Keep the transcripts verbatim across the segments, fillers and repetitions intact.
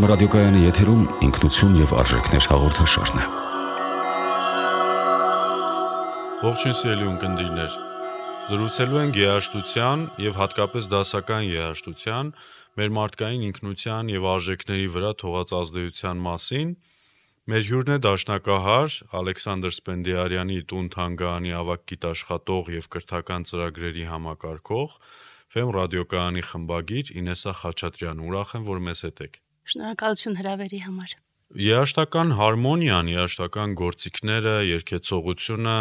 Ֆեմ ռադիոկայանի եթերում ինքնություն եւ արժեքներ հաղորդաշարն է։ Ողջույն սիրելի ունկնդիրներ։ Զրուցելու ենք երաժշտության եւ հատկապես դասական երաժշտության, մեր մարդկային ինքնության եւ արժեքների վրա թողած ազդեցության մասին։ Մեր հյուրն է դաշնակահար Ալեքսանդր Սպենդիարյանի տուն թանգարանի ավագ գիտաշխատող եւ կրթական ծրագրերի համակարգող, Ֆեմ ռադիոկայանի խմբագիր Ինեսա Խաչատրյան։ Ուրախ եմ, որ մեզ հետ եք։ Շնորհակալություն հրավերի համար։ Երաժշտական հարմոնիան, երաժշտական գործիքները, երգեցողությունը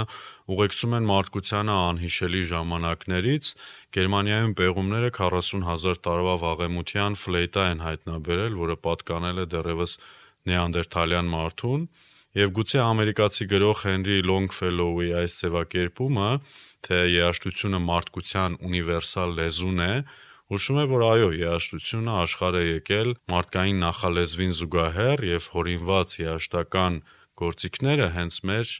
ուղեկցում են մարդկությանը անհիշելի ժամանակներից։ Գերմանիայում պեղումները քառասուն հազար տարվա վաղեմության ֆլեյտա են հայտնաբերել, որը պատկանել է դեռևս նեանդերթալյան մարդուն, եւ գուցե ամերիկացի գրող Հենրի Լոնգֆելոուի այս ձևակերպումը, թե երաժշտությունը մարդկության ունիվերսալ լեզուն է, հուշում է, որ այո, երաժշտությունը աշխարհ է եկել մարդկային նախալեզվին զուգահեռ եւ հորինված երաժշտական գործիքները հենց մեր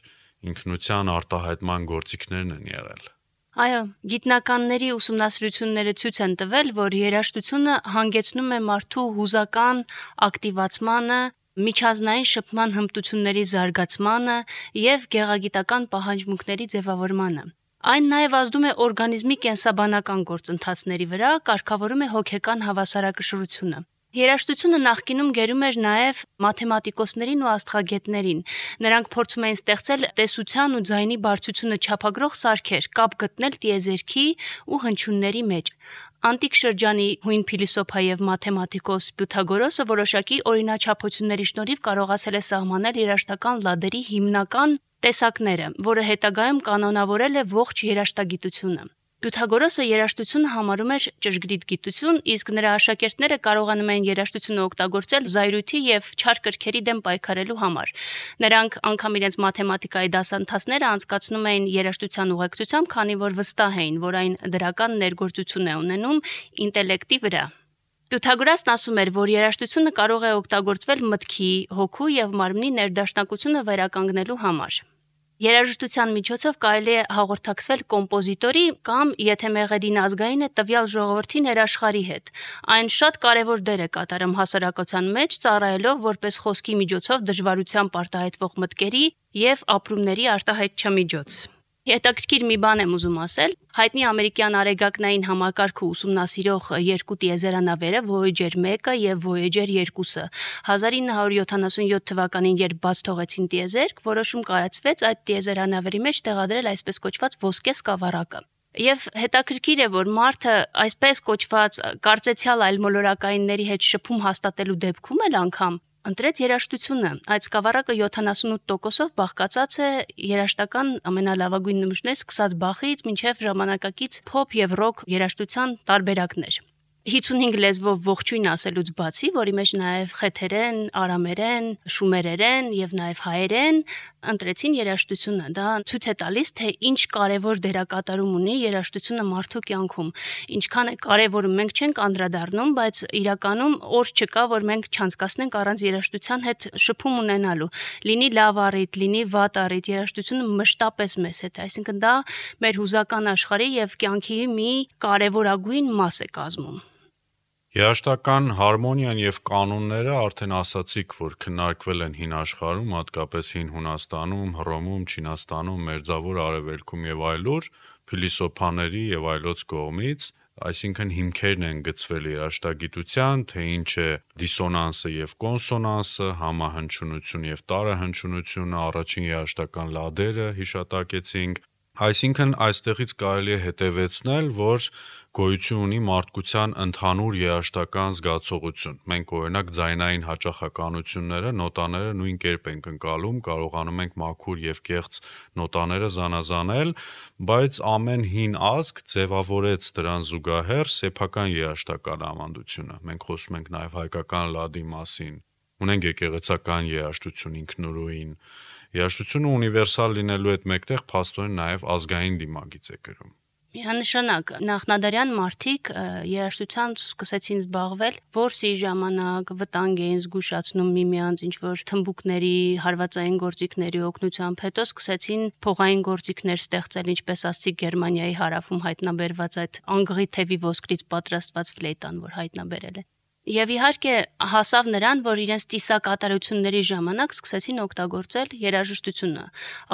ինքնության արտահայտման գործիքներն են եղել։ Այո, գիտնականների ուսումնասիրությունները ցույց են տվել, որ երաժշտությունը հանգեցնում է մարդու հուզական ակտիվացմանը, միջազգային շփման հմտությունների զարգացմանը եւ գեղագիտական պահանջմունքների ձևավորմանը։ Այն նաև ազդում է օրգանիզմի կենսաբանական գործընթացների վրա, կարգավորում է հոգեկան հավասարակշռությունը։ Երաժշտությունը նախկինում գերում էր նաև մաթեմատիկոսներին ու աստղագետներին։ Նրանք փորձում էին ստեղծել տեսության ու ձայնի բարձրությունը չափագրող սարքեր, կապ գտնել տիեզերքի ու հնչյունների մեջ։ Անտիկ շրջանի հույն փիլիսոփա եւ մաթեմատիկոս Պյութագորոսը որոշակի օրինաչափությունների շնորհիվ կարողացել է սահմանել երաժշտական լադերի հիմնական տեսակները, որը հետագայում կանոնավորել է ողջ երաժշտագիտությունը։ Պյութագորոսը երաժշտությունը համարում էր ճշգրիտ գիտություն, իսկ նրա աշակերտները կարողանում էին երաժշտությունը օգտագործել զայրույթի եւ չար կրքերի դեմ պայքարելու համար։ Նրանք անգամ իրենց մաթեմատիկայի դասընթացները անցկացնում էին երաժշտության ուղեկցությամբ, քանի որ վստահ էին, որ այն դրական ներգործություն է ունենում ինտելեկտի վրա։ Պյութագորասն ասում էր, որ երաժշտությունը կարող է օգտագործվել մտքի, հոգու եւ մարմնի ներդաշնակությունը վերականգնելու համար։ Երաժշտության միջոցով կարելի է հաղորդակցվել կոմպոզիտորի կամ, եթե մեղեդին ազգային է, տվյալ ժողովրդի ներաշխարհի հետ։ Այն շատ կարևոր դեր է կատարում հասարակության մեջ, ծառայելով որպես խոսքի միջոցով դժվարությամբ արտահայտվող մտքերի եւ ապրումների արտահայտչամիջոց։ Հետաքրքիր մի բան եմ ուզում ասել։ Հայտնի ամերիկյան արեգակնային համակարգը ուսումնասիրող երկու տիեզերանավերը Voyager մեկը եւ Voyager երկուսը հազար ինը հարյուր յոթանասունյոթ թվականին, երբ բաց թողեցին տիեզերք, որոշում կայացվեց այդ տիեզերանավերի մեջ տեղադրել այսպես կոչված ոսկե սկավառակը։ Եվ հետաքրքիր է, որ մարդը այսպես կոչված կարծեցյալ այլմոլորակայինների հետ շփում հաստատելու դեպքում էլ անգամ ընտրեց երաժշտությունը։ Այդ սկավառակը յոթանասունութ տոկոսով բաղկացած է երաժշտական ամենալավագույն նմուշներից սկսած Բախից մինչև ժամանակակից փոփ եւ ռոք երաժշտության տարբերակներ։ հիսունհինգ լեզվով ողջույն ասելուց բացի, որի մեջ նաև խեթերեն, արամերեն, շումերերեն եւ նաև հայերեն ընտրեցին երաժշտությունը։ Դա ցույց է տալիս, թե ինչ կարևոր դերակատարում ունի երաժշտությունը մարդու կյանքում։ Ինչքան է կարևորում, մենք չենք անդրադառնում, բայց իրականում օր չկա, որ մենք չանցկացնենք առանց երաժշտության հետ շփում ունենալու։ Լինի լավ առիթ, լինի վատ առիթ, երաժշտությունը մշտապես մեզ հետ է, այսինքն դա մեր հուզական աշխարհի եւ կյանքի մի կարևորագույն մաս է կազմում։ Երաժշտական հարմոնիան եւ կանոնները արդեն ասացիք, որ քննարկվել են հին աշխարհում, հատկապես հին Հունաստանում, Հռոմում, Չինաստանում, Մերձավոր Արևելքում եւ այլուր, փիլիսոփաների եւ այլոց կողմից, այսինքն հիմքերն են գծվել երաժշտագիտության, թե ինչ է դիսոնանսը եւ կոնսոնանսը, համահնչյունություն եւ տարահնչյունությունը, առաջին երաժշտական լադերը հիշատակեցինք։ Այսինքն այստեղից կարելի է հետևեցնել, որ գոյություն ունի մարդկության ընդհանուր երաժշտական զգացողություն։ Մենք օրինակ ձայնային հաճախականությունները, նոտաները նույն կերպ ենք ընկալում, կարողանում ենք մաքուր եւ կեղծ նոտաները զանազանել, բայց ամեն հին ազգ ձևավորեց դրան զուգահեռ սեփական երաժշտական ավանդությունը։ Մենք խոսում ենք նաեւ հայկական լադի մասին։ Ունենք եկեղեցական երաժշտություն ինքնուրույն։ Երաժշտությունը ունիվերսալ լինելու հետ մեկտեղ փաստորեն նաև ազգային դիմագիծ է կրում։ Միանշանակ նախնադարյան մարդիկ երաժշտությամբ սկսեցին զբաղվել, որսի ժամանակ վտանգ էին զգուշացնում միմյանց ինչ-որ թմբուկների, հարվածային գործիքների օգնությամբ, հետո սկսեցին փողային գործիքներ ստեղծել, ինչպես ասացի Գերմանիայի հարավում հայտնաբերված այդ անգղի թևի ոսկրից պատրաստված ֆլեյտան, որ հայտնաբերել է։ Եվ իհարկե հասավ նրան, որ իրենց ծիսակատարությունների ժամանակ սկսեցին օգտագործել երաժշտությունը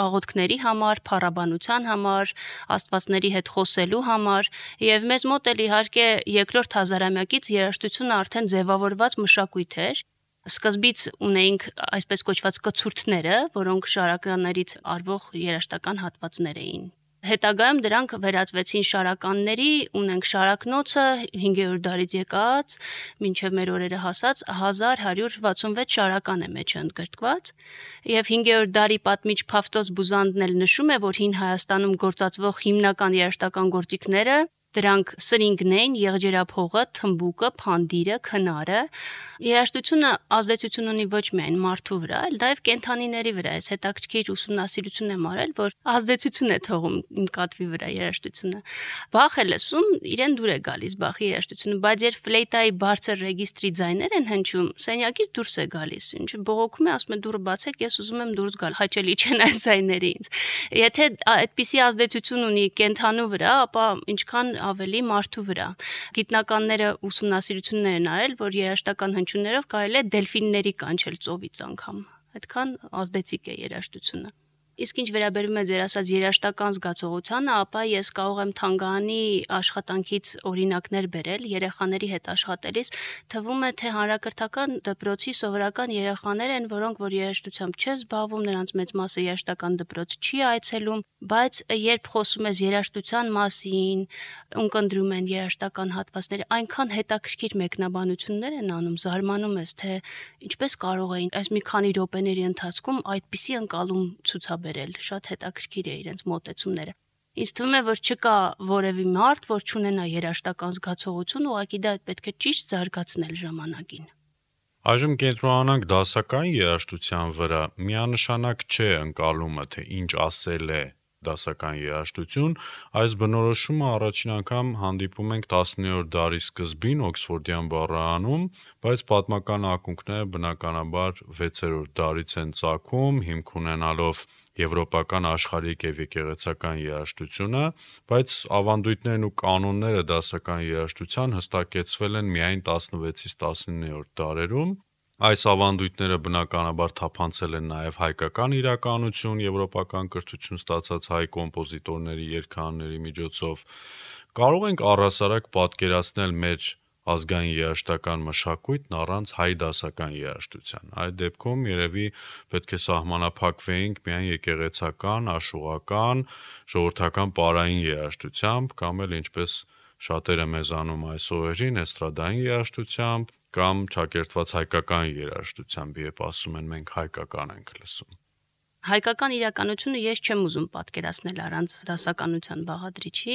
աղոթքների համար, փառաբանության համար, աստվածների հետ խոսելու համար, եւ մեզ մոտ էլ իհարկե երկրորդ հազարամյակից երաժշտությունը արդեն ձևավորված մշակույթ էր։ Սկզբից ունեինք այսպես կոչված կցուրդները, որոնք շարականերից արվող երաժշտական հատվածներ էին։ Հետագայում դրանք վերածվեցին շարականների, ունենք շարակնոցը հինգերորդ դարից եկած, մինչև մեր օրերը հասած հազար հարյուր վաթսունվեց շարական է մեջը ընդգրկված, եւ հինգերորդ դարի պատմիչ Փավստոս Բուզանդն էլ նշում է, որ հին Հայաստանում գործածվող հիմնական երաժշտական գործիքները դրանք սրինգն էին, եղջերափողը, թմբուկը, փանդիրը, քնարը։ Երաժշտությունը ազդեցություն ունի ոչ միայն մարդու վրա, այլ նաև կենդանիների վրա։ Այս հետաքրքիր ուսումնասիրություն եմ արել, որ ազդեցություն է թողում իմ կատվի վրա երաժշտությունը։ Բախ է լսում, իրեն դուր է գալիս Բախի երաժշտությունը, բայց երբ ֆլեյտայի բարձր ռեգիստրի ձայներ են հնչում, սենյակից դուրս է գալիս։ Ինչը բողոքում է, ասում է դուրը բացեք, ես ուզում եմ դուրս գալ, հաճելի չեն այս ձայները ինձ։ Եթե այդպիսի ազդեցություն ունի կենդանու վրա, ապա ինչքան ավելի մարդու վրա։ Գիտնականները ուսումնասիրություններ են արել, որ երաժշտական հնչյուններով կարելի է դելֆինների կանչել ծովից անգամ։ Այդքան ազդեցիկ է երաժշտությունը։ Իսկ ինչ վերաբերում է ձեր ասած երաժշտական զգացողությանը, ապա ես կարող եմ Թանգարանի աշխատանքից օրինակներ բերել երեխաների հետ աշխատելիս, թվում է թե հանրակրթական դպրոցի սովորական երեխաներ են, որոնք որ երաժշտությամբ չեն զբաղվում, նրանց մեծ մասը երաժշտական դպրոց չի այցելում, բայց երբ խոսում ես երաժշտության մասին, ունկնդրում են երաժշտական հատվածները, այնքան հետաքրքիր մեկնաբանություններ են անում, զարմանում ես, թե ինչպես կարող էին այս մի քանի րոպեների ընթացքում այդպիսի ընկալում ցուցաբերել, շատ հետաքրքիր է իրենց մոտեցումները։ Ինձ թվում է, որ չկա որևէ մարդ, որ չունենա երաժշտական զգացողություն, ուղղակի դա պետք է ճիշտ զարգացնել ժամանակին։ Այժմ կենտրոնանանք դասական երաժշտության վրա, միանշանակ չէ ընկալումը, թե ինչ ասել է դասական երաժշտություն, այս բնորոշումը առաջին անգամ հանդիպում ենք տասնյոթերորդ դարի սկզբին Օքսֆորդյան բառարանում, բայց պատմական ակունքները բնականաբար վեցերորդ դարից են ծագում, հիմք ունենալով եվրոպական աշխարհիկ եւ եկեղեցական երաժշտությունը, բայց ավանդույթներն ու կանոնները դասական երաժշտության հստակեցվել են միայն տասնվեցից տասնիններորդ դարերում։ Այս ավանդույթները բնականաբար թափանցել են նաև հայկական իրականություն, եվրոպական կրթություն ստացած հայ կոմպոզիտորների, երգարանների միջոցով։ Կարող ենք առհասարակ պատկերացնել մեր ազգային երաժշտական մշակույթն առանց հայ դասական երաժշտության։ Այդ դեպքում երևի պետք է սահմանափակվեինք միայն եկեղեցական, աշուղական, ժողովրդական պարային երաժշտությամբ, կամ էլ ինչպես շատերը մեզ անում այս օրերին, էստրադային երաժշտությամբ, կամ ճակերտված հայկական երաժշտությամբ, երբ ասում են մենք հայկական ենք լսում։ Հայկական իրականությունը ես չեմ ուզում պատկերացնել առանց դասականության բաղադրիչի։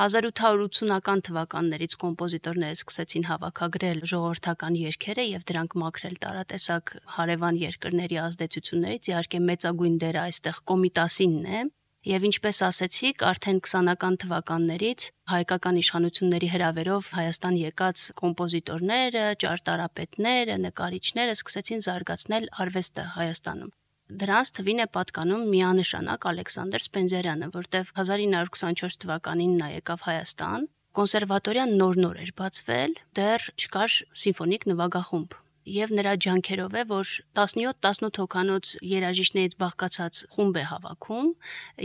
հազար ութ հարյուր ութսունական թվականներից կոմպոզիտորները սկսեցին հավաքագրել ժողովրդական երգերը եւ դրանք մաքրել տարատեսակ հարևան երկրների ազդեցություններից, իհարկե մեծագույն դերը այստեղ Կոմիտասինն է։ Եվ ինչպես ասեցիք, արդեն քսանական թվականներից հայկական իշխանությունների հրավերով Հայաստան եկած կոմպոզիտորները, ճարտարապետները, նկարիչները սկսեցին զարգացնել արվեստը Հայաստանում։ Դրանց թվին է պատկանում միանշանակ Ալեքսանդր Սպենդիարյանը, որտեղ հազար ինը հարյուր քսանչորս թվականին նա եկավ Հայաստան, կոնսերվատորիան նոր-նոր էր բացվել, դեռ չկար սիմֆոնիկ նվագախումբ։ Եվ նրա ջանքերով է, որ տասնյոթ տասնութ հոգանոց երաժիշտներից բաղկացած խումբ է հավաքում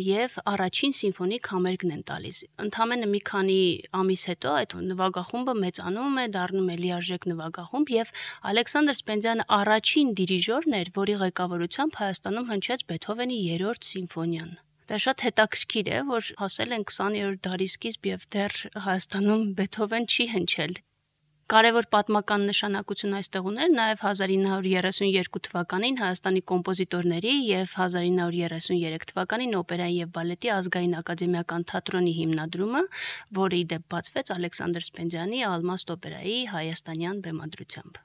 եւ առաջին սիմֆոնիկ համերգն են տալիս։ Ընդամենը մի քանի ամիս հետո այդ նվագախումբը մեծանում է, դառնում է լիարժեք նվագախումբ եւ Ալեքսանդր Սպենդիանը առաջին դիրիժորն էր, որի ղեկավարությամբ Հայաստանում հնչեց Բեթհովենի երրորդ սիմֆոնիան։ Դա շատ հետաքրքիր է, որ հասել են քսաներորդ դարի սկիզբ եւ դեռ Հայաստանում Բեթհովեն չի հնչել։ Կարևոր պատմական նշանակություն այստեղ ուներ նաև հազար ինը հարյուր երեսունյերկու թվականին Հայաստանի կոմպոզիտորների եւ հազար ինը հարյուր երեսունյերեք թվականին օպերայի եւ բալետի ազգային ակադեմիական թատրոնի հիմնադրումը, որը ի դեպ բացվեց Ալեքսանդր Սպենդիանի Ալմաստ օպերայի հայաստանյան բեմադրությամբ։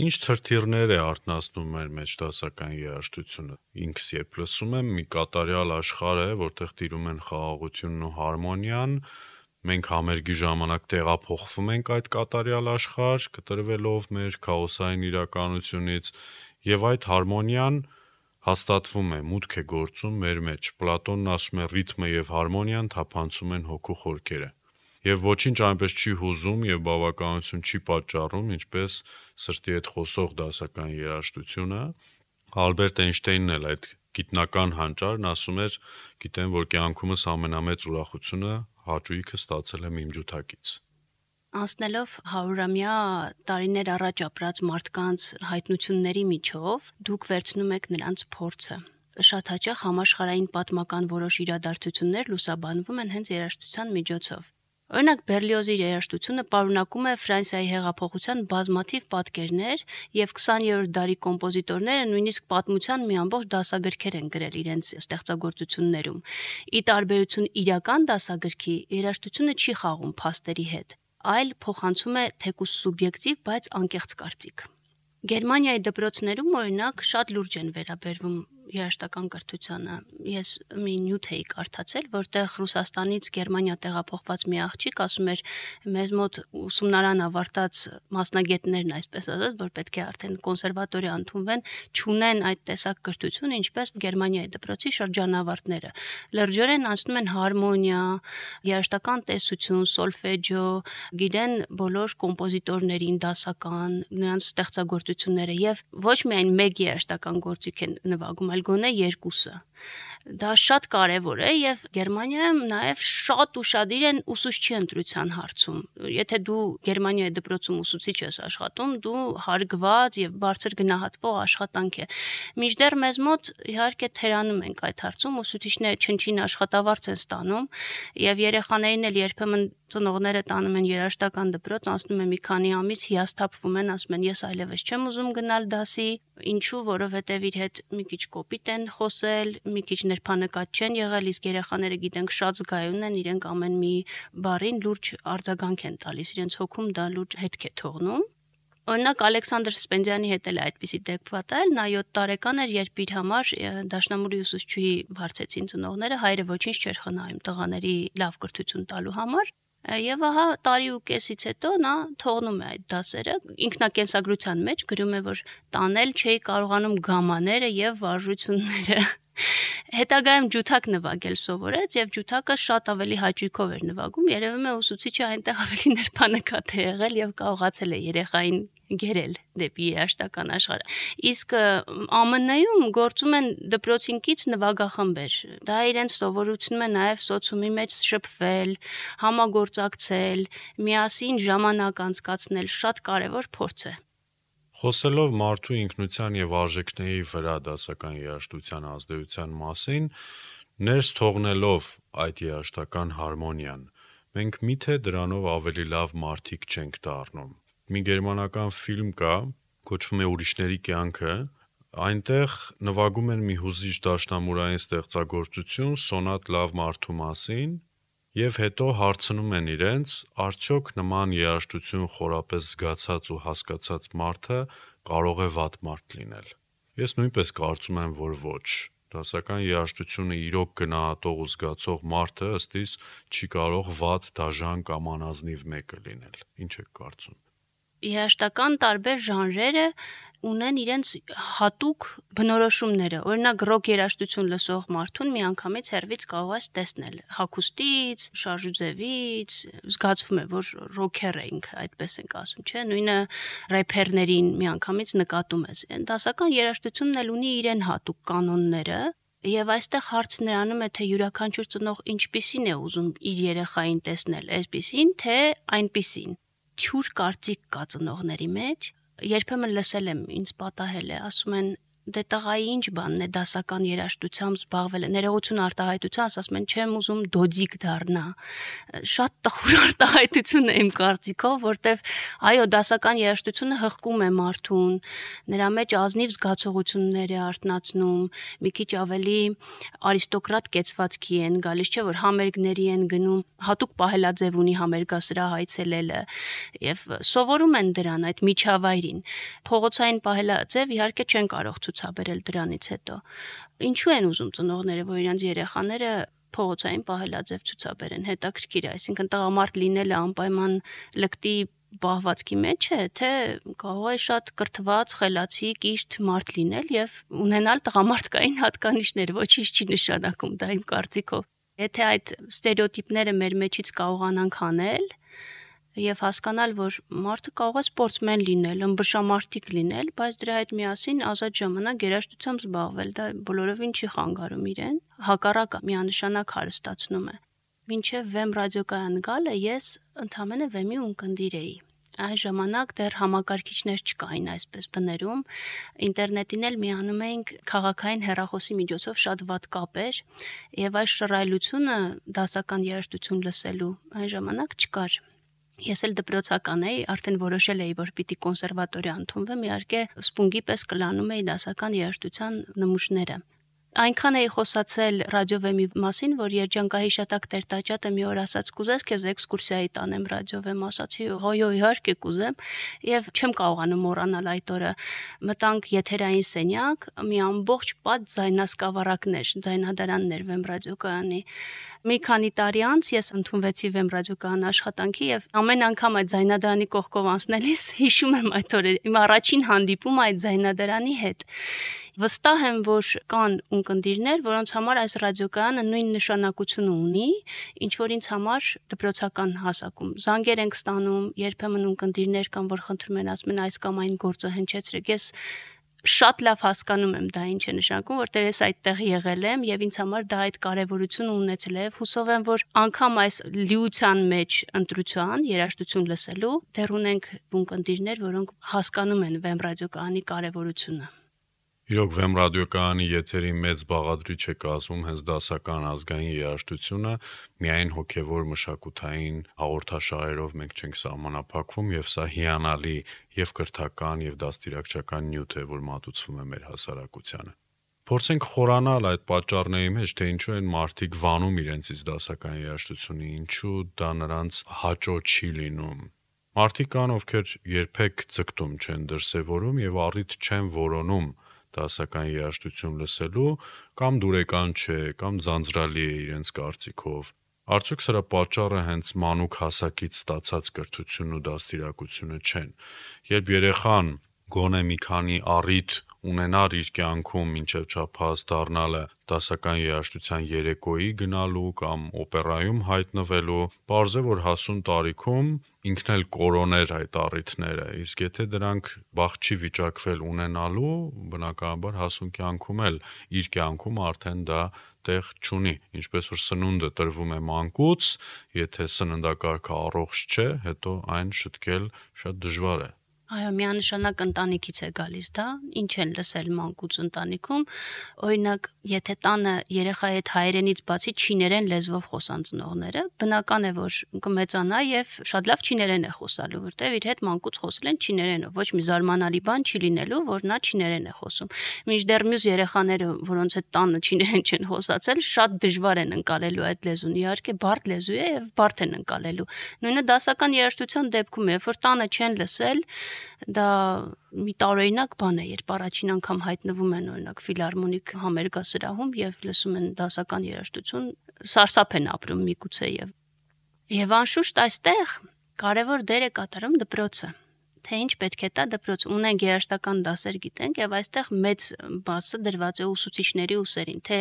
Ինչ թրթիռներ է արտնասնում մեր մեջ դասական երաժշտությունը։ Ինքս երբ լսում եմ, մի կատարյալ աշխարհ է, որտեղ տիրում են խաղաղությունն ու հարմոնիան, մենք համերգի ժամանակ տեղափոխվում ենք այդ կատարյալ աշխարհ, կտրվելով մեր քաոսային իրականությունից, եւ այդ հարմոնիան հաստատվում է, մուտք է գործում մեր մեջ։ Պլատոնն ասում է՝ ռիթմը եւ հարմոնիան թափանցում են հոգու խորքերը։ եւ ոչինչ այնպես չի հուզում եւ բավականություն չի պատճառում, ինչպես սրտի հետ խոսող դասական երաժշտությունը։ Ալբերտ Էյնշտեյնն էլ այդ գիտնական հանճարն ասում էր, գիտեմ, որ կյանքումս ամենամեծ ուրախությունը հաճույքը ստացել եմ իմ ջութակից։ Անցնելով հարյուրամյա տարիներ առաջ ապրած մարդկանց հայտնությունների միջով, դուք վերցնում եք նրանց փորձը։ Շատ հաճախ համաշխարհային պատմական որոշ իրադարձություններ լուսաբանվում են հենց երաժշտության միջոցով։ Օրինակ Բերլիոզի երաժշտությունը պարունակում է Ֆրանսիայի հեղափոխության բազմաթիվ պատկերներ եւ քսաներորդ դարի կոմպոզիտորները նույնիսկ պատմության մի ամբողջ դասագրքեր են գրել իրենց ստեղծագործություններում։ Ի տարբերություն իրական դասագրքի, երաժշտությունը չի խաղում փաստերի հետ, այլ փոխանցում է թեկուզ սուբյեկտիվ, բայց անկեղծ կարծիք։ Գերմանիայի դպրոցներում օրինակ շատ լուրջ են վերաբերվում երաժշտական կրթությանը։ Ես մի նյութ էի կարդացել, որտեղ Ռուսաստանից Գերմանիա տեղափոխված մի աղջիկ ասում էր, մեզ մոտ ուսումնարան ավարտած մասնագետներն, այսպես ասած, որ պետք է արդեն կոնսերվատորիա ընդունվեն, չունեն այդ տեսակ կրթություն, ինչպես Գերմանիայի դպրոցի շրջանավարտները։ Լրջորեն անցնում են հարմոնիա, երաժշտական տեսություն, սոլֆեջո, գիտեն բոլոր կոմպոզիտորներին, դասական, նրանց ստեղծագործությունները եւ ոչ միայն մեկ երաժշտական գործիք են նվագում, այլ գոնե երկուսը։ Դա շատ կարևոր է եւ Գերմանիայում նաեւ շատ ուշադիր են ուսուցչի ընտրության հարցում։ Եթե դու Գերմանիայի դպրոցում ուսուցիչ ես աշխատում, դու հարգված եւ բարձր գնահատվող աշխատանք է։ Մինչդեռ մեզ մոտ իհարկե թերանում ենք այդ հարցում, ուսուցիչները չնչին աշխատավարձ են ստանում եւ երեխաներին էլ երբեմն ծնողները տանում են երաժշտական դպրոց, անցնում է մի քանի ամիս, հիասթափվում են, ասում են ես այլևս չեմ ուզում գնալ դասի, ինչու, որովհետեւ իր հետ մի քիչ կոպիտ են խոսել, մի քիչ ներբանկատ չեն եղել, իսկ երեխաները գիտենք շատ զգայուն են, իրենք ամեն մի բառին լուրջ արձագանք են տալիս, իրենց հոգում դա լուրջ հետք է թողնում։ Օրինակ Ալեքսանդր Սպենդիանի հետ էլ է այդպիսի դեպք պատահել, նա յոթ տարեկան էր, երբ իր համար դաշնամուրի ուսուցչուհի վարձեցին ծնողները, հայրը ոչինչ չէր խնայում տղաների լավ կրթություն տալու համար։ Եվ ահա տարի ու կեսից հետո նա թողնում է այդ դասերը, ինքնակենսագրության մեջ գրում է, որ տանել չէի կարողանում գամաները եւ վարժությունները։ Հետագայում ջութակ նվագել սովորեց եւ ջութակը շատ ավելի հաճույքով էր նվագում, երևում է ուսուցիչը այնտեղ ավելի ներբանկատ է եղել եւ կարողացել է երեխային գերել դեպի երաժշտական աշխարհը։ Իսկ Ա Մ Ն-ում գործում են դպրոցինքից նվագախմբեր։ Դա իրենց սովորեցնում է նաև սոցիումի մեջ շփվել, համագործակցել, միասին ժամանակ անցկացնել, շատ կարևոր փորձ է։ Խոսելով մարդու ինքնության եւ արժեքների վրա դասական երաժշտության ազդեցության մասին, ներս թողնելով այդ երաժշտական հարմոնիան, մենք միթե դրանով ավելի լավ մարդիկ չենք դառնում։ Մի գերմանական ֆիլմ կա, կոչվում է Ուրիշների կյանքը, այնտեղ նվագում են մի հուզիչ դաշնամուրային ստեղծագործություն սոնատ լավ մարդու մասին եւ հետո հարցնում են իրենց, արդյոք նման երաժշտություն խորապես զգացած ու հասկացած մարդը կարող է վատ մարդ լինել։ Ես նույնպես կարծում եմ, որ ոչ։ Դասական երաժշտությունը իրոք գնահատող ու զգացող մարդը ըստ իս չի կարող վատ, դաժան կամ անազնիվ մեկը լինել։ Ինչ եք կարծում։ Երաժշտական տարբեր ժանրերը ունեն իրենց հատուկ բնորոշումները։ Օրինակ ռոք երաժշտություն լսող մարդուն միանգամից հեռվից կարող ես տեսնել հագուստից, շարժուձևից, զգացվում է, որ ռոքեր է ինքը, այդպես ենք ասում, չէ՞, նույնը рэփերներին միանգամից նկատում ես։ Դասական երաժշտությունն էլ ունի իրեն հատուկ կանոնները, եւ այստեղ հարցը նրանում է, թե յուրաքանչյուր ծնող ինչպիսին է ուզում իր երեխային տեսնել, այսպիսին, թե այնպիսին։ Թյուր կարծիք կա ծնողների մեջ, երբեմն լսել եմ, ինձ պատահել է, ասում են դե տղայի ինչ բանն է դասական երաժշտությամբ զբաղվել է, ներողություն արտահայտության, ասում են չեմ ուզում դոդիկ դառնա։ Շատ տխուր արտահայտություն է իմ կարծիքով, որտեվ այո, դասական երաժշտությունը հղկում է մարդուն, նրա մեջ ազնիվ զգացողություններ է արթնացնում, մի քիչ ավելի արիստոկրատ կեցվածքի են գալիս, չէ՞ որ համերգների են գնում, հատուկ պահելաձև ունի համերգասրահ այցելելը եւ սովորում են դրան այդ միջավայրին։ Փողոցային պահելաձև իհարկե չեն կարող ցուցաբերել դրանից հետո։ Ինչու են ուզում ծնողները, որ իրենց երեխաները փողոցային պահելաձև ցուցաբերեն, հետաքրքիր է, այսինքն տղամարդ լինելը անպայման լկտի պահվածքի մեջ է, թե կարող է շատ կրթված, խելացի, կիրթ մարդ լինել եւ ունենալ տղամարդկային հատկանիշներ, ոչինչ չի նշանակում դա իմ կարծիքով։ Եթե այդ ստերեոտիպները մեր մեջից կարողանանք անել եւ հասկանալ, որ մարդը կարող է սպորտսմեն լինել, ըմբշամարտիկ լինել, բայց դրա հետ միասին ազատ ժամանակ երաժշտությամբ զբաղվել, դա բոլորովին չի խանգարում իրեն, հակառակը միանշանակ հարստացնում է։ Մինչև Վեմ ռադիոկայան գալը ես ընդամենը Վեմի ունկնդիր էի։ Այն ժամանակ դեռ համակարգիչներ չկային այսպես բներում, ինտերնետին էլ միանում էինք քաղաքային հեռախոսի միջոցով շատ վատ կապեր, եւ այս շռայլությունը դասական երաժշտություն լսելու այն ժամանակ չկար։ Ես էլ դպրոցական էի, արդեն որոշել էի, որ պիտի կոնսերվատորիա ընդունվեմ, իհարկե սպունգի պես կլանում էի դասական երաժշտության նմուշները։ Այնքան էի խոսացել ռադիովեմի մասին, որ երջանկահիշատակ Տեր-Տաճատը մի օր ասաց՝ «Կուզես քեզ էքսկուրսիայի տանեմ ռադիովեմ», ասացի՝ «Հոյո, իհարկե կուզեմ», եւ չեմ կարողանում մոռանալ այդ օրը։ Մտանք եթերային սենյակ, մի ամբողջ պատ ձայնասկավառակներ, ձայնադարաններ Վեմ ռադիոկայանի։ Մի քանի տարի անց ես ընդունվեցի Վեմ ռադիոկայան աշխատանքի եւ ամեն անգամ այդ ձայնադարանի կողքով անցնելիս հիշում եմ այդ օրը, իմ առաջին հանդիպումը այդ ձայնադարանի հետ։ Վստահ եմ, որ կան ունկնդիրներ, որոնց համար այս ռադիոկայանը նույն նշանակությունը ունի, ինչ որ ինձ համար դպրոցական հասակում։ Զանգեր ենք ստանում, երբեմն ունկնդիրներ կան, որ խնդրում են, ասում են այս կամ այն գործը հնչեցրեք։ Ես շատ լավ հասկանում եմ դա ինչ է նշանակում, որտեղ ես այդտեղ եղել եմ եւ ինձ համար դա այդ կարեւորությունը ունեցել է։ Հուսով եմ, որ անգամ այս լիության մեջ ընտրության, երաժշտություն լսելու դեռ ունենք ունկնդիրներ, որոնք հասկանում են Վեմ ռադիոկայանի կարեւորությունը։ Իրոք Վեմ ռադիոկայանի եթերի մեծ բաղադրիչ է կազմում հենց դասական ազգային երաժշտությունը, միայն հոգևոր մշակութային հաղորդաշարերով մենք չենք սահմանափակվում եւ սա հիանալի եւ կրթական եւ դաստիարակչական նյութ է, որ մատուցվում է մեր հասարակությանը։ Փորձենք խորանալ այդ պատճառների մեջ, թե ինչու են մարդիկ վանում իրենցից դասական երաժշտությունը, ինչու դա նրանց հաճո չի լինում։ Մարդիկ կան, ովքեր երբեք ձգտում չեն դրսևորում եւ առիթ չեն որոնում դասական երաժշտություն լսելու, կամ դուրեկան չէ, կամ ձանձրալի է իրենց կարծիքով։ Արդյոք սրա պատճառը հենց մանուկ հասակից ստացած կրթությունն ու դաստիարակությունը չեն։ Երբ երեխան գոնե մի քանի առիթ ունենար իր կյանքում մինչև չափահաս դառնալը դասական երաժշտության երեկոյի գնալու կամ օպերայում հայտնվելու, պարզ է, որ հասուն տարիքում ինքն էլ կորոներ այդ առիթները, իսկ եթե դրանք բախ չի վիճակվել ունենալու, բնականաբար հասուն կյանքում էլ իր կյանքում արդեն դա տեղ չունի, ինչպես որ սնունդը տրվում է մանկուց, եթե սննդակարգը առողջ չէ, հետո այն շտկել շատ դժվար է։ Այո, միանշանակ ընտանիքից է գալիս դա, ինչ են լսել մանկուց ընտանիքում, օրինակ, եթե տանը երեխայի հետ հայերենից բացի չիներեն լեզվով խոսան ծնողները, բնական է, որ կմեծանա եւ շատ լավ չիներեն է խոսալու, որտեւ իր հետ մանկուց խոսել են չիներենով, ոչ մի զարմանալի բան չի լինելու, որ նա չիներեն է խոսում։ Մինչդեռ մյուս երեխաները, որոնց հետ տանը չիներեն չեն խոսացել, շատ դժվար են ընկալելու այդ լեզուն, իհարկե բարդ լեզու է եւ բարդ են ընկալելու։ Նույնը դասական երաժշտության դեպքում է, երբ որ տանը չեն լսել, դա մի տարօրինակ բան է, երբ առաջին անգամ հայտնվում են օրինակ ֆիլհարմոնիկ համերգասրահում եւ լսում են դասական երաժշտություն, սարսափ են ապրում միգուցե եւ եւ անշուշտ այստեղ կարևոր դեր է կատարում դպրոցը, թե ինչ պետք է տա դպրոց։ Ունենք երաժշտական դասեր, գիտենք, եւ այստեղ մեծ բասը դրված է ուսուցիչների ուսերին, թե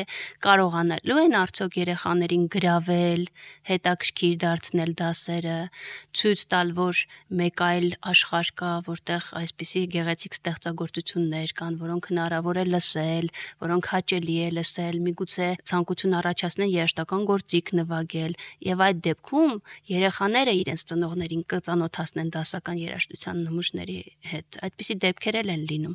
կարողանալու են արդյոք երեխաներին գրավել, հետաքրքիր դարձնել դասերը, ցույց տալ, որ մեկ այլ աշխարհ կա, որտեղ այսպիսի գեղեցիկ ստեղծագործություններ կան, որոնք հնարավոր է լսել, որոնք հաճելի է լսել, միգուցե ցանկություն առաջացնեն երաժշտական գործիք նվագել, եւ այդ դեպքում երեխաները իրենց ծնողներին կծանոթացնեն դասական երաժշտության նմուշների հետ, այդպիսի դեպքեր են լինում,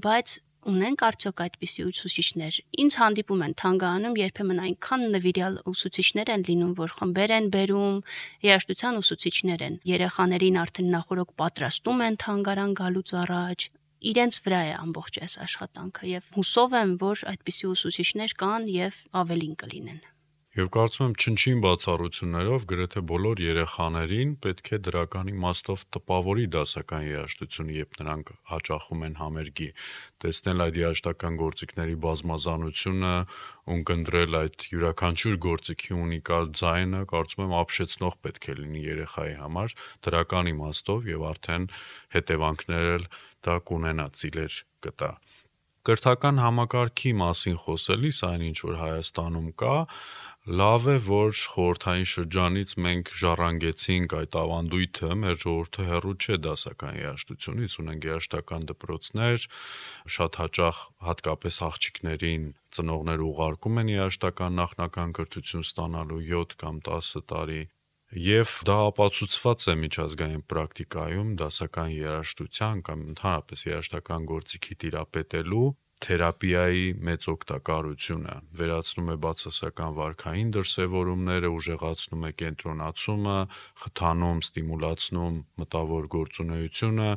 բայց ունենք արդյոք այդպիսի ուսուցիչներ։ Ինձ հանդիպում են թանգարանում երբեմն այնքան նվիրյալ ուսուցիչներ են լինում, որ խմբեր են բերում, երաժշտության ուսուցիչներ են, երեխաներին արդեն նախօրոք պատրաստում են թանգարան գալուց առաջ, իրենց վրա է ամբողջ այս աշխատանքը եւ հուսով եմ, որ այդպիսի ուսուցիչներ կան եւ ավելին կլինեն։ Եվ կարծում եմ չնչին բացառություններով գրեթե բոլոր երեխաներին պետք է դրական իմաստով տպավորի դասական երաժշտությունը, երբ նրանք հաճախում են համերգի, տեսնել այդ երաժշտական գործիքների բազմազանությունը, ունկնդրել այդ յուրաքանչյուր գործիքի ունիկալ ձայնը, կարծում եմ ապշեցնող պետք է լինի երեխայի համար դրական իմաստով եւ արդեն հետևանքներ էլ դա կունենա, ծիլեր կտա։ Կրթական համակարգի մասին խոսելիս, այն ինչ որ Հայաստանում կա, լավ է, որ խորհրդային շրջանից մենք ժառանգեցինք այդ ավանդույթը, մեր ժողովուրդը հեռու չէ դասական երաժշտությունից, ունենք երաժշտական դպրոցներ, շատ հաճախ հատկապես աղջիկներին ծնողներ ուղարկում են երաժշտական նախնական կրթություն ստանալու յոթ կամ տասը տարի, եւ դա ապացուցված է միջազգային պրակտիկայում դասական երաժշտության կամ ընդհանրապես երաժշտական գործիքի տիրապետելու թերապիայի մեծ օգտակարությունը, վերացնում է բացասական վարքային դրսևորումները, ուժեղացնում է կենտրոնացումը, խթանում, ստիմուլացնում մտավոր գործունեությունը,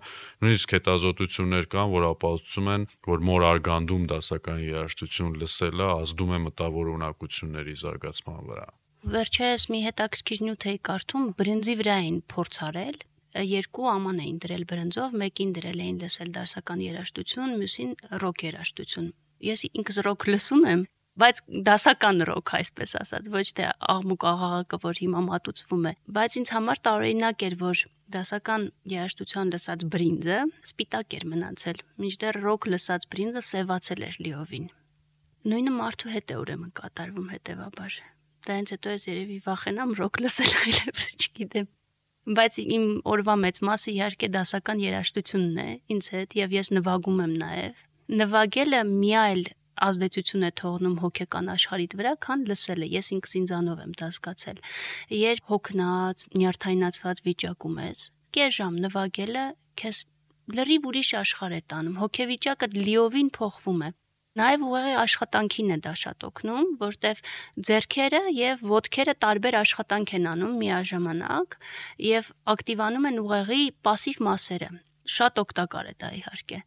նույնիսկ հետազոտություններ կան, որ ապացուցում են, որ մոր արգանդում դասական երաժշտություն լսելը ազդում է մտավոր ունակությունների զարգացման վրա։ Վերջերս մի հետաքրքիր նյութ էի կարդում, բրինձի վրա էին փորձ արել, երկու աման էին դրել բրնձով, մեկին դրել էին լսել դասական երաժշտություն, մյուսին ռոք երաժշտություն։ Ես ինքս ռոք լսում եմ, բայց դասական ռոք, այսպես ասած, ոչ թե աղմուկ աղաղակը, որ հիմա մատուցվում է, բայց ինձ համար տարօրինակ էր, որ դասական երաժշտության լսած բրինձը սպիտակ էր մնացել, մինչդեռ ռոք լսած բրինձը սևացել էր լիովին։ Նույնը մարդու հետ է ուրեմն կատարվում հետևաբար։ Դրանից հետո ես երևի վախենամ ռոք լսել այլևս, չգիտեմ։ Բայց իմ օրվա մեծ մասը իհարկե դասական երաժշտությունն է ինձ հետ եւ ես նվագում եմ նաեւ։ Նվագելը մի այլ ազդեցություն է թողնում հոգեկան աշխարհիդ վրա, քան լսելը։ Ես ինքս ինձանով եմ դա զգացել։ Երբ հոգնած, նյարդայնացված վիճակում ես, կես ժամ նվագելը քեզ լրիվ ուրիշ աշխարհ է տանում, հոգեվիճակը լիովին փոխվում է։ Նաև ուղղակի աշխատանքին է դա շատ օգնում, որտեվ ձեռքերը եւ ոտքերը տարբեր աշխատանք են անում միաժամանակ եւ ակտիվանում են ուղղակի пассив մասերը։ Շատ օգտակար է դա իհարկե։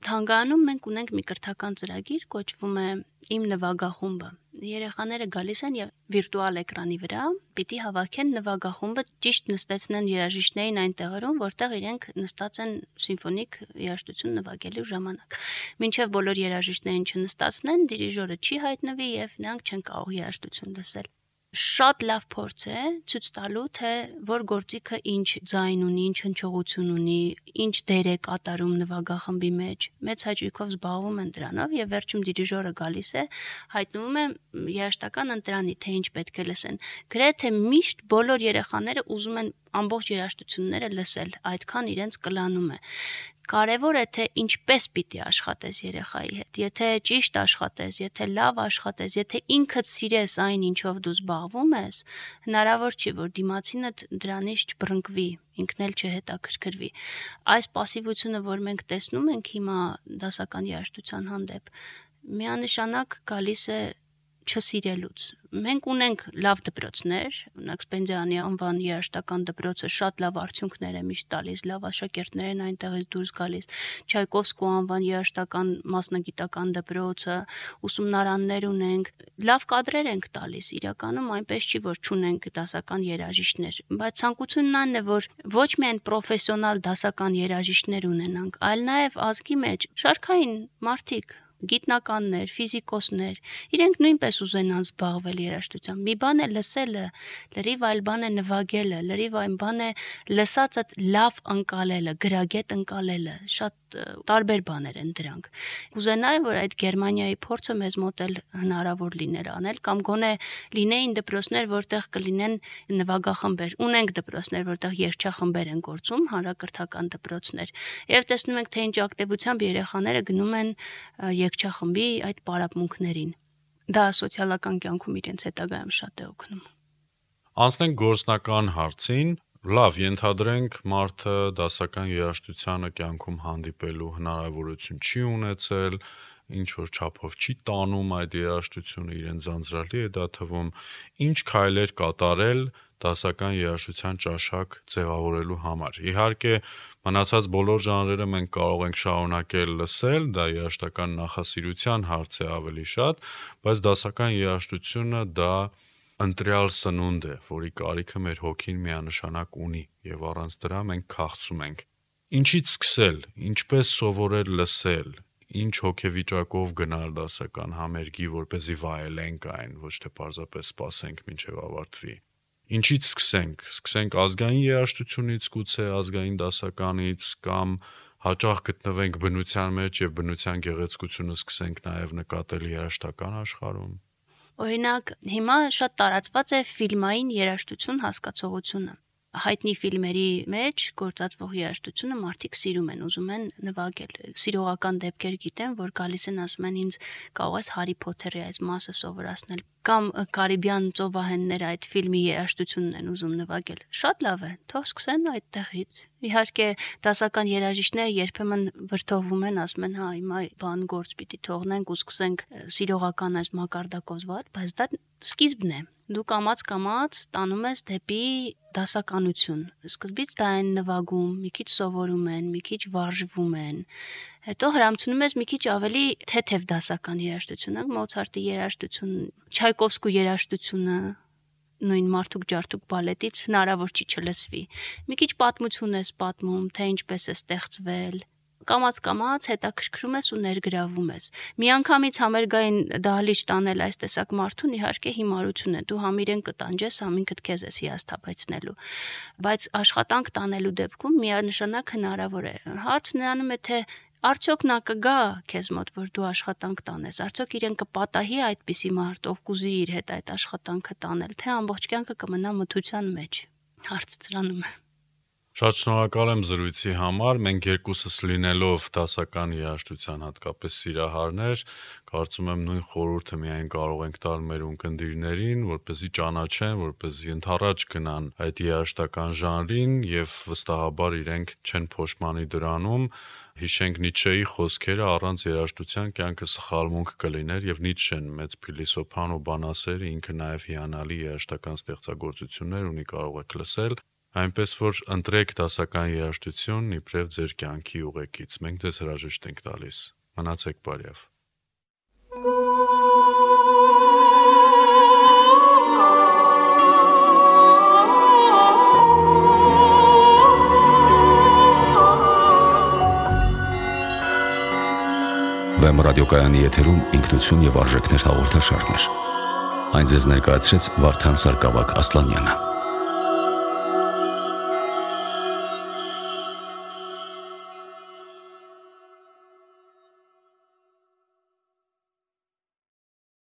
Թանգարանում մենք ունենք մի կրթական ծրագիր, կոչվում է Իմ նվագախումբը։ Երեխաները գալիս են եւ վիրտուալ էկրանի վրա պիտի հավաքեն նվագախումբը, ճիշտ նստեցնեն երաժիշտներին այն տեղերում, որտեղ իրենք նստած են սիմֆոնիկ երաժշտություն նվագելու ժամանակ։ Մինչեւ բոլոր երաժիշտներին չնստացնեն, դիրիժորը չի հայտնվի եւ նրանք չեն կարող երաժշտություն լսել։ Շատ լավ փորձ է ցույց տալու, թե որ գործիքը ինչ ձայն ունի, ինչ հնչողություն ունի, ինչ դեր է կատարում նվագախմբի մեջ։ Մեծ հաճույքով զբաղվում են դրանով եւ վերջում դիրիժորը գալիս է, հայտնվում է երաժշտական ընտրանի, թե ինչ պետք է լսեն։ Գրեթե միշտ բոլոր երեխաները ուզում են ամբողջ երաժշտությունները լսել, այդքան իրենց կլանում է։ Կարևոր է, թե ինչպես պիտի աշխատես երեխայի հետ, եթե ճիշտ աշխատես, եթե լավ աշխատես, եթե ինքդ սիրես այն, ինչով դու զբաղվում ես, հնարավոր չի, որ դիմացինդ դրանից չբռնկվի, ինքն էլ չհետաքրքրվի։ Այս пассивությունը, որ մենք տեսնում ենք հիմա դասական երաժշտության հանդեպ, միանշանակ գալիս է չսիրելուց։ Մենք ունենք լավ դպրոցներ, օրինակ Սպենդիանի անվան երաժշտական դպրոցը շատ լավ արդյունքներ է միշտ տալիս, լավ աշակերտներ են այնտեղից դուրս գալիս, Չայկովսկու անվան երաժշտական մասնագիտական դպրոցը, ուսումնարաններ ունենք, լավ կադրեր ենք տալիս, իրականում այնպես չի, որ չունենք դասական երաժիշտներ, բայց ցանկությունն այն է, որ ոչ միայն պրոֆեսիոնալ դասական երաժիշտներ ունենանք, այլ նաև ազգի մեջ շարքային մարդիկ, գիտնականներ, ֆիզիկոսներ, իրենք նույնպես ուզենան զբաղվել երաժշտությամբ։ Մի բան է լսելը, լրիվ այլ բան է նվագելը, լրիվ այլ բան է լսածդ լավ ընկալելը, գրագետ ընկալելը, շատ տարբեր բաներ են դրանք։ Կուզենայի, որ այդ Գերմանիայի փորձը մեզ մոտ էլ հնարավոր լիներ անել, կամ գոնե լինեին դպրոցներ, որտեղ կլինեն նվագախմբեր։ Ունենք դպրոցներ, որտեղ երգչախմբեր են գործում, հանրակրթական դպրոցներ։ Եվ տեսնում ենք, թե ինչ ակտիվությամբ երեխաները գնում են երգչախմբի այդ պարապմունքներին։ Դա սոցիալական կյանքում իրենց հետագայում շատ է օգնում։ Անցնենք գործնական հարցին։ Լավ, ենթադրենք մարդը դասական երաժշտությանը կյանքում հանդիպելու հնարավորություն չի ունեցել, ինչ որ չափով չի տանում այդ երաժշտությունը, իրեն ձանձրալի է դա թվում, ինչ քայլեր կատարել դասական երաժշտության ճաշակ ձևավորելու համար։ Իհարկե, մնացած բոլոր ժանրերը մենք կարող ենք շարունակել լսել, դա երաժշտական նախասիրության հարց է ավելի շատ, բայց դասական երաժշտությունը դա ընտրյալ սնունդ է, որի կարիքը մեր հոգին միանշանակ ունի, եւ առանց դրա մենք քաղցում ենք։ Ինչից սկսել, ինչպես սովորել լսել, ինչ հոգեվիճակով գնալ դասական համերգի, որպեսզի վայելենք այն, ոչ թե պարզապես սպասենք մինչև ավարտվի։ Ինչից սկսենք, սկսենք ազգային երաժշտությունից, գուցե ազգային դասականից կամ հաճախ գտնվենք բնության մեջ եւ բնության գեղեցկությունը սկսենք նաեւ նկատել երաժշտական աշխարհում։ Օրինակ, հիմա շատ տարածված է ֆիլմային երաժշտություն հասկացողությունը։ Հայտնի ֆիլմերի մեջ գործածվող երաժշտությունը մարդիկ սիրում են, ուզում են նվագել։ Սիրողական դեպքեր գիտեմ, որ գալիս են ասում են ինձ կարող ես Հարի Փոթերի այս մասը սովորացնել, կամ Կարիբյան ծովահենները այդ ֆիլմի երաժշտությունն են ուզում նվագել։ Շատ լավ է, թող սկսեն այդտեղից։ Իհարկե, դասական երաժիշտները երբեմն վրդովվում են, ասում են, հա, հիմա բան գործ պիտի թողնենք ու սկսենք սիրողական այս մակարդակով զբաղվել, բայց դա սկիզբն է։ Դու կամաց-կամաց տանում ես դեպի դասականություն։ Սկզբից դա են նվագում, մի քիչ սովորում են, մի քիչ վարժվում են։ Հետո հրամցնում ես մի քիչ ավելի թեթև դասական երաժշտությունը, Մոցարտի երաժշտություն, Չայկովսկու երաժշտությունը, նույն Մարդուկ ջարդուկ բալետից հնարավոր չի չլսվի։ Մի քիչ պատմություն ես պատմում, թե ինչպես է ստեղծվել։ Կամաց-կամաց հետաքրքրում ես ու ներգրավում ես։ Միանգամից համերգային դահլիճ տանել այս տեսակ մարդուն իհարկե հիմարություն է։ Դու համ իրեն կտանջես, համ ինքդ քեզ ես հիասթափեցնելու։ Բայց աշխատանք տանելու դեպքում միանշանակ հնարավոր է։ Հարցն նրանում է, թե արդյոք նա կգա քեզ մոտ, որ դու աշխատանք տանես։ Արդյոք իրեն կպատահի այդպիսի մարդ, ով կուզի իր հետ այդ աշխատանքը տանել, թե ամբողջ կյանքը կմնա մթության մեջ։ Հարցը ծրանում է։ Շատ շնորհակալ եմ զրույցի համար։ Մենք երկուսս լինելով դասական երաժշտության հատկապես սիրահարներ, կարծում եմ նույն խորհուրդը միայն կարող ենք տալ մեր ունկնդիրներին, որպեսզի ճանաչեն, որպեսզի ընդառաջ գնան այդ երաժշտական ժանրին եւ վստահաբար իրենք չեն փոշմանի դրանում։ Հիշենք Նիցշեի խոսքերը, առանց երաժշտության կյանքը սխալմունք կլիներ, եւ Նիցշեն մեծ փիլիսոփան ու բանասեր, ինքը նաեւ հիանալի երաժշտական ստեղծագործություններ ունի, կարող եք լսել։ Այնպես որ ընտրեք դասական երաժշտություն իբրև ձեր կյանքի ուղեկից։ Մենք ձեզ հրաժեշտ ենք տալիս։ Մնացեք բարյավ։ Վեմ ռադիոկայանի եթերում ինքնություն եւ արժեքներ հաղորդաշարներ։ Այն ձեզ ներկայացրեց Վարդան Սարգսակ Ասլանյանը։